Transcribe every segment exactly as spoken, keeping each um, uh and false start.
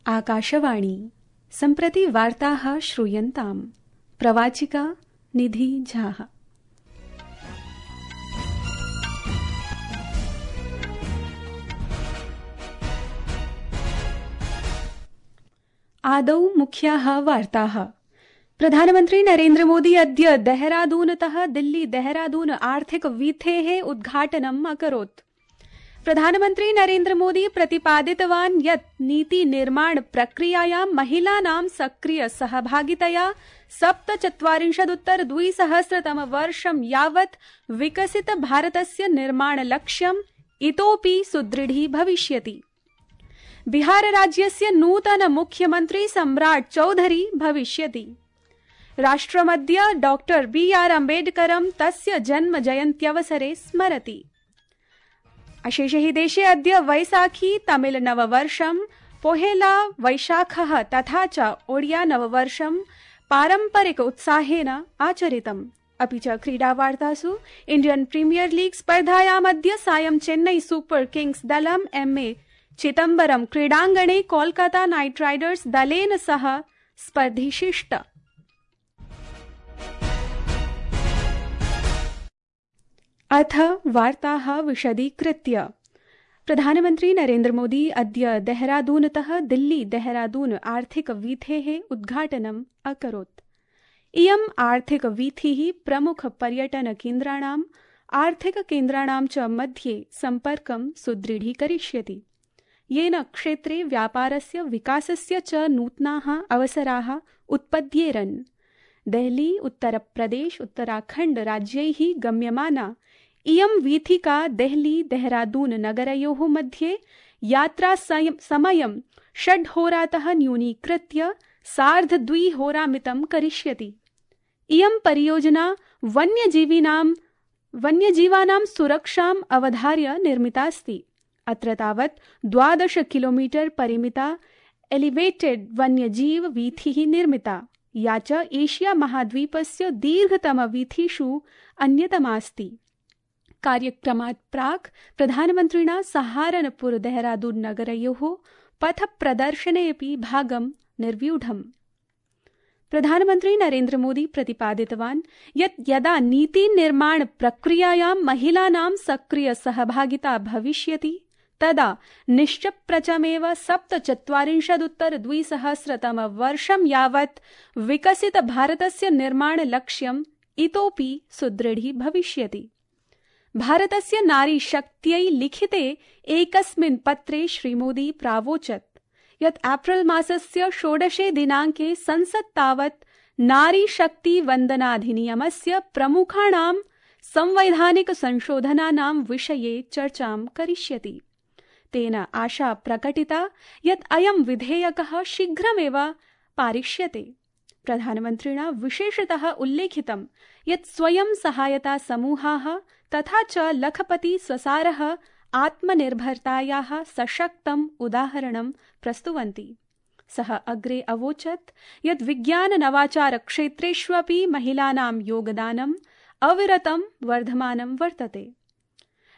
आकाशवाणी सम्प्रति वार्ताः श्रूयन्ताम्। प्रवाचिका निधि झा। आदौ मुख्याः वार्ताः। प्रधानमन्त्री नरेन्द्र मोदी अद्य देहरादूनतः दिल्ली देहरादून आर्थिक वीथेः उद्घाटनम् अकरोत्। प्रधानमन्त्री नरेन्द्र मोदी प्रतिपादितवान् यत् नीति निर्माण प्रक्रियायां महिलानां सक्रिय सहभागितया सप्तचत्वारिंशदुत्तर द्विसहस्रतम वर्षं यावत् विकसित भारतस्य निर्माण लक्ष्यम् इतोपि सुदृढी भविष्यति। बिहार राज्यस्य नूतन मुख्यमन्त्री सम्राट् चौधरी भविष्यति। राष्ट्रमद्य डॉक्टर बी आर अम्बेडकरं तस्य जन्म जयन्त्यवसरे स्मरति। अशेषे हि देशे अद्य वैसाखी तमिल नववर्षं, पोहेला वैशाखः तथा च ओडिया नववर्षं पारम्परिक उत्साहेन आचरितम्। अपि च क्रीडावार्तासु इण्डियन् प्रीमियर लीग स्पर्धायाम् अद्य सायं चेन्नई सुपर किंग्स दलम् एम ए चिदम्बरम क्रीडाङ्गणे कोलकाता नाइट राइडर्स दलेन सह स्पर्धिष्यति। अथ वार्ताः विशदीकृत्य। प्रधानमन्त्री नरेन्द्र मोदी अद्य देहरादूनतः दिल्ली देहरादून आर्थिक वीथेः उद्घाटनम् अकरोत्। इयम् आर्थिक वीथिः प्रमुख पर्यटन केन्द्राणाम् आर्थिक केन्द्राणां च मध्ये सम्पर्कं सुदृढीकरिष्यति, येन क्षेत्रे व्यापारस्य विकासस्य च नूतनाः अवसराः उत्पद्येरन्। देहली उत्तरप्रदेश उत्तराखण्ड राज्यैः गम्यमाना इयं वीथिका देहली देहरादून नगरयोः मध्ये यात्रा समयं षड्होरातः न्यूनीकृत्य सार्धद्विहोरामितं करिष्यति। इयं परियोजना वन्यजीविनां वन्यजीवानां सुरक्षाम् अवधार्य निर्मितास्ति। अत्र तावत् द्वादश किलोमीटर परिमिता एलिवेटेड वन्यजीव वीथिः निर्मिता, या च एशिया महाद्वीपस्य दीर्घतम वीथिषु अन्यतमास्ति। कार्यक्रमात् प्राक् प्रधानमन्त्रिणा सहारनपुर देहरादून नगरयोः पथ प्रदर्शने अपि भागं निर्व्यूढम्। प्रधानमन्त्री नरेन्द्र मोदी प्रतिपादितवान् यत् यदा नीति निर्माण प्रक्रियायां महिलानां सक्रिय सहभागिता भविष्यति तदा निश्चप्रचमेव सप्तचत्वारिंशदुत्तर द्विसहस्रतम वर्षं यावत् विकसित भारतस्य निर्माण लक्ष्यम् इतोपि सुदृढी भविष्यति। भारतस्य नारी शक्त्यै लिखिते एकस्मिन् पत्रे श्रीमोदी प्रावोचत् यत् एप्रिल मासस्य षोडशे दिनाङ्के संसत् तावत् नारी शक्ति वन्दनाधिनियमस्य प्रमुखाणां संवैधानिक संशोधनानां विषये चर्चां करिष्यति। तेन आशा प्रकटिता यत् अयं विधेयकः शीघ्रमेव पारिष्यते। प्रधानमन्त्रिणा विशेषतः उल्लेखितं यत् स्वयं सहायता समूहाः तथा च लखपति स्वसारः आत्मनिर्भरतायाः सशक्तम् उदाहरणं प्रस्तुवन्ति। सः अग्रे अवोचत् यत् विज्ञान नवाचार क्षेत्रेष्वपि महिलानां योगदानम् अविरतं वर्धमानं वर्तते।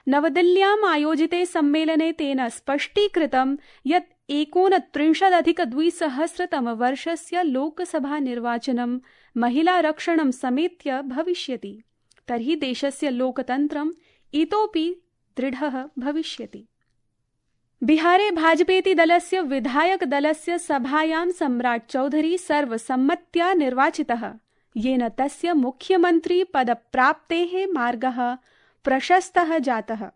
नवदिल्ल्याम् आयोजिते सम्मेलने तेन स्पष्टीकृतं यत् एकोनत्रिंशदधिक द्विसहस्रतम वर्षस्य लोकसभा निर्वाचनं महिलारक्षणं समेत्य भविष्यति, तर्हि देशस्य लोकतन्त्रम् इतोपि दृढः भविष्यति। बिहारे भाजपेति दलस्य विधायक दलस्य सभायां सम्राट् चौधरी सर्वसम्मत्या निर्वाचितः, येन तस्य मुख्यमन्त्री पदप्राप्तेः मार्गः प्रशस्तः जातः।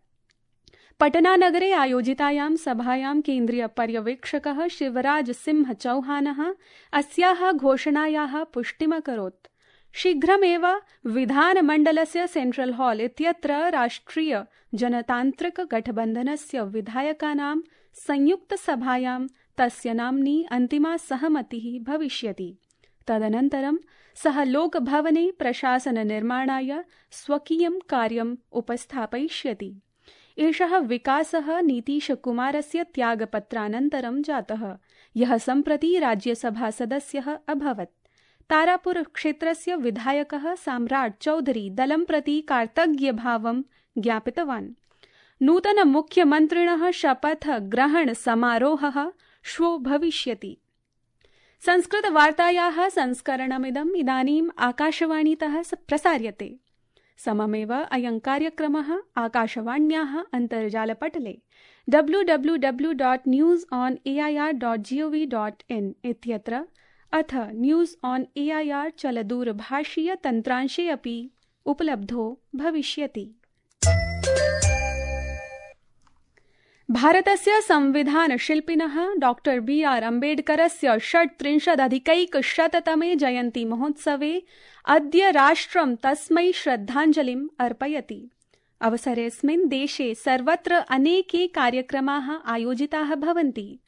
पटनानगरे आयोजितायां सभायां केन्द्रीय पर्यवेक्षकः शिवराज सिंह चौहानः अस्याः घोषणायाः पुष्टिमकरोत्। शीघ्रमेव विधानमण्डलस्य सेंट्रल हॉल इत्यत्र राष्ट्रिय जनतान्त्रिक गठबन्धनस्य विधायकानां संयुक्तसभायां तस्य नाम्नि अन्तिमा सहमतिः भविष्यति। तदनन्तरं सः लोकभवने प्रशासननिर्माणाय स्वकीयं कार्यम् उपस्थापयिष्यति। एषः विकासः नीतीशकुमारस्य त्यागपत्रानन्तरं जातः, यः सम्प्रति राज्यसभासदस्यः अभवत्। तारापुर क्षेत्रस्य विधायकः सम्राट् चौधरी दलं प्रति कार्तज्ञभावं ज्ञापितवान्। नूतन मुख्यमन्त्रिणः शपथ ग्रहण समारोहः श्वो भविष्यति। संस्कृतवार्तायाः संस्करणमिदम् इदानीम् आकाशवाणीतः प्रसार्यते। सममेव अयं कार्यक्रमः आकाशवाण्याः अन्तर्जालपटले W W W dot news on A I R dot G O V dot in इत्यत्र अथ news on A I R चलदूरभाषीय तन्त्रांशे अपि उपलब्धो भविष्यति। भारतस्य संविधानशिल्पिनः डॉक्टर बी आर अम्बेडकरस्य षट्त्रिंशदधिकैकशततमे जयन्ती महोत्सवे अद्य राष्ट्रं तस्मै श्रद्धाञ्जलिम् अर्पयति। अवसरेऽस्मिन् देशे सर्वत्र अनेके कार्यक्रमाः आयोजिताः भवन्ति।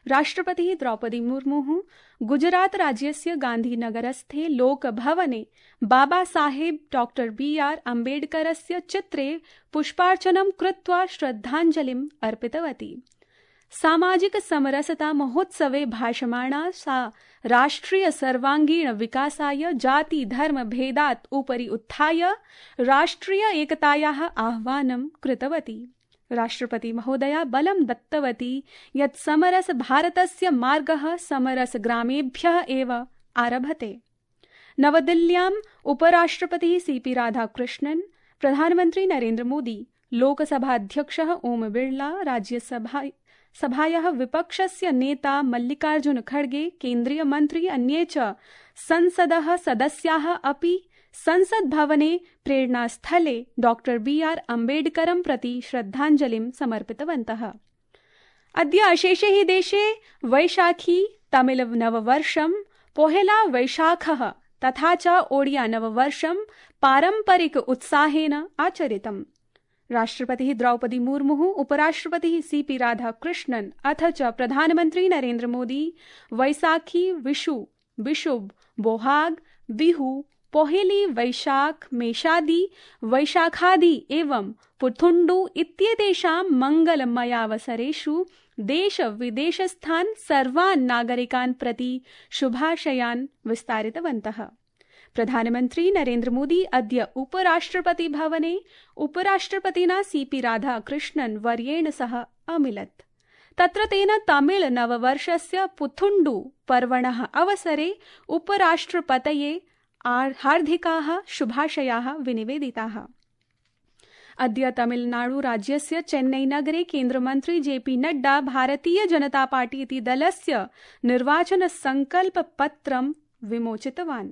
राष्ट्रपतिः द्रौपदी मुर्मुः गुजरात राज्यस्य गान्धीनगरस्थे लोकभवने बाबा साहेब डॉक्टर बी आर अम्बेडकरस्य चित्रे पुष्पार्चनं कृत्वा श्रद्धाञ्जलिम् अर्पितवती। सामाजिक समरसता महोत्सवे भाषमाणा सा राष्ट्रिय सर्वांगीण विकासाय जाति धर्म भेदात् उपरि उत्थाय राष्ट्रिय एकतायाः आह्वानं कृतवती। राष्ट्रपति महोदया बलं दत्तवती यत् समरस भारतस्य मार्गः समरस ग्रामेभ्यः एव आरभते। नवदिल्ल्याम् उपराष्ट्रपतिः सी पी राधाकृष्णन्, प्रधानमन्त्री नरेन्द्र मोदी, लोकसभाध्यक्षः ओम बिर्ला, राज्यसभा सभायाः विपक्षस्य नेता मल्लिकार्जुन खड़गे, केन्द्रीय मन्त्री अन्ये च संसदः सदस्याः अपि संसद भवने प्रेरणास्थले डॉक्टर बी आर अम्बेडकरं प्रति श्रद्धाञ्जलिं समर्पितवन्तः। अद्य अशेषे हि देशे वैशाखी तमिल नववर्षं, पोहेला वैशाखः तथा च ओडिया नववर्षं पारम्परिक उत्साहेन आचरितम्। राष्ट्रपतिः द्रौपदी मुर्मुः, उपराष्ट्रपतिः सी पी राधाकृष्णन् अथ च प्रधानमन्त्री नरेन्द्र मोदी वैसाखी, विशु, विशुब, बोहाग, बिहु, पोहेली, वैशाख, मेषादि, वैशाखादि एवं पुथुण्डु इत्येतेषां मङ्गलमयावसरेषु देश विदेशस्थान् सर्वान् नागरिकान् प्रति शुभाशयान् विस्तारितवन्तः। प्रधानमन्त्री नरेन्द्र मोदी अद्य उपराष्ट्रपति भवने उपराष्ट्रपतिना सी पी राधाकृष्णन् वर्येण सह अमिलत्। तत्र तेन तमिल नववर्षस्य पुथुण्डु पर्वणः अवसरे उपराष्ट्रपतये हार्दिकाः शुभाशयाः विनिवेदिताः। अद्य तमिलनाडु राज्यस्य चेन्नई नगरे केन्द्रमन्त्री J P Nadda Bharatiya Janata party इति दलस्य निर्वाचन संकल्प पत्रं विमोचितवान्।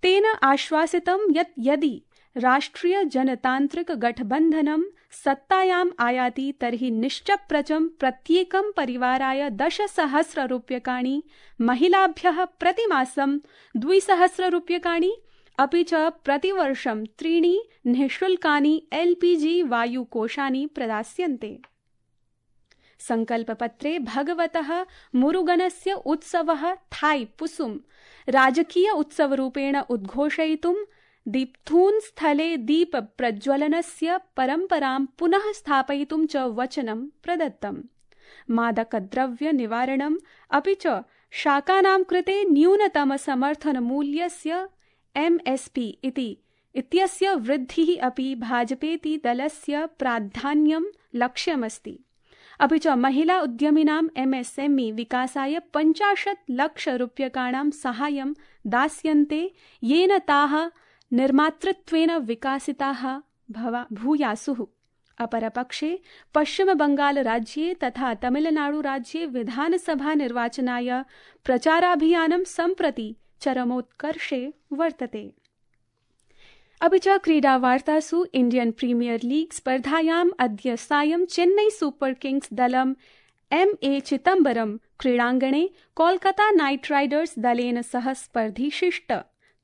तेन आश्वासितं यत् यदि राष्ट्रिय जनतान्त्रिक गठबन्धनं सत्तायाम् आयाति तर्हि निश्चप्रचं प्रत्येकं परिवाराय दशसहस्र रूप्यकाणि, महिलाभ्यः प्रतिमासं द्विसहस्र रूप्यकाणि, अपि च प्रतिवर्षं त्रीणि निःशुल्कानि एल पी जी वायुकोशानि प्रदास्यन्ते। संकल्पपत्रे भगवतः मुरुगनस्य उत्सवः थाई पुसुम राजकीय उत्सवरूपेण उद्घोषयितुं दीप्थून् स्थले दीप प्रज्वलनस्य परम्परां पुनः स्थापयितुं च वचनं प्रदत्तम्। मादकद्रव्य निवारणम् अपि च शाकानां कृते न्यूनतम समर्थन मूल्यस्य एम एस पी इति इत्यस्य वृद्धिः अपि भाजपेति दलस्य प्राधान्यं लक्ष्यमस्ति। अपि च महिला उद्यमिनां एम एस एम ई विकासाय पञ्चाशत् लक्ष रूप्यकाणां साहाय्यं दास्यन्ते, येन ताः निर्मातृत्वेन विकासिताः भूयासुः। अपरपक्षे पश्चिमबंगाल राज्ये तथा तमिलनाडु राज्ये विधानसभा निर्वाचनाय प्रचाराभियानं सम्प्रति चरमोत्कर्षे वर्तते। अपि च क्रीडावार्तासु इण्डियन् प्रीमियर लीग स्पर्धायाम् अद्य सायं चेन्नई सुपर किंग्स दलम् एम ए चिदम्बरम क्रीडाङ्गणे कोलकाता नाइट राइडर्स दलेन सह स्पर्धिशिष्ट।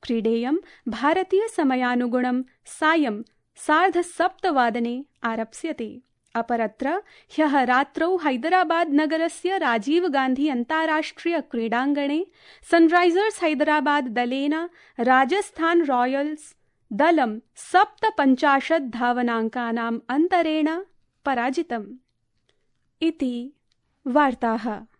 क्रीडेयं भारतीय समयानुगुणं सायं सार्धसप्तवादने आरप्स्यते। अपरत्र ह्यः रात्रौ हैदराबाद नगरस्य राजीव गांधी अन्ताराष्ट्रिय क्रीडाङ्गणे सनराइजर्स हैदराबाद दलेन राजस्थान रॉयल्स दलं सप्तपञ्चाशत् धावनाङ्कानाम् अन्तरेण पराजितम्। इति वार्ताः।